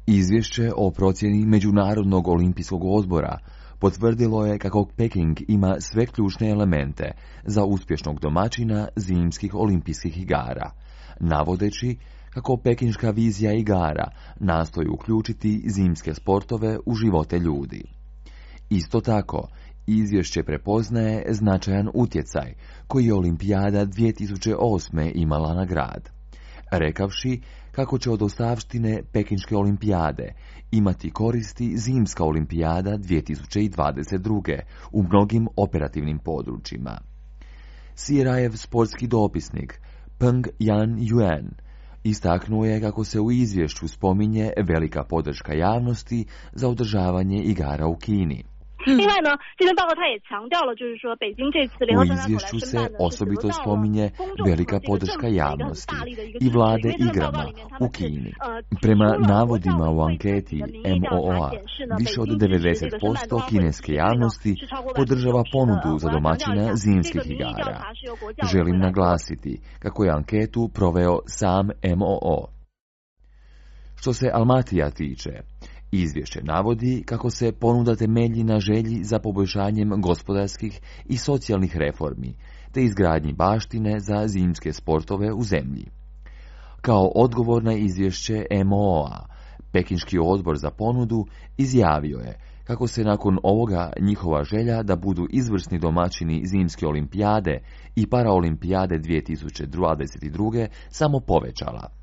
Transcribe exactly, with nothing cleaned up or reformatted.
Izvješće o procjeni Međunarodnog olimpijskog odbora potvrdilo je kako Peking ima sve ključne elemente za uspješnog domaćina zimskih olimpijskih igara, navodeći kako pekinška vizija igara nastoji uključiti zimske sportove u živote ljudi. Isto tako, izvješće prepoznaje značajan utjecaj koji je Olimpijada dvije tisuće osme imala na grad, rekavši kako će od ostavštine Pekinške olimpijade imati koristi Zimska olimpijada dvije tisuće dvadeset druge u mnogim operativnim područjima. C R I-ev sportski dopisnik Peng Yan-Yuan istaknuo je kako se u izvješću spominje velika podrška javnosti za održavanje igara u Kini. U izvješću se osobito spominje velika podrška javnosti i vlade igrama u Kini. Prema navodima u anketi M O O-a, više od devedeset posto kineske javnosti podržava ponudu za domaćina zimskih igara. Želim naglasiti kako je anketu proveo sam M O O. Što se Almatija tiče, izvješće navodi kako se ponuda temelji na želji za poboljšanjem gospodarskih i socijalnih reformi, te izgradnji baštine za zimske sportove u zemlji. Kao odgovor na izvješće M O O-a, Pekinški odbor za ponudu izjavio je kako se nakon ovoga njihova želja da budu izvrsni domaćini zimske olimpijade i paraolimpijade dvije tisuće dvadeset druge samo povećala.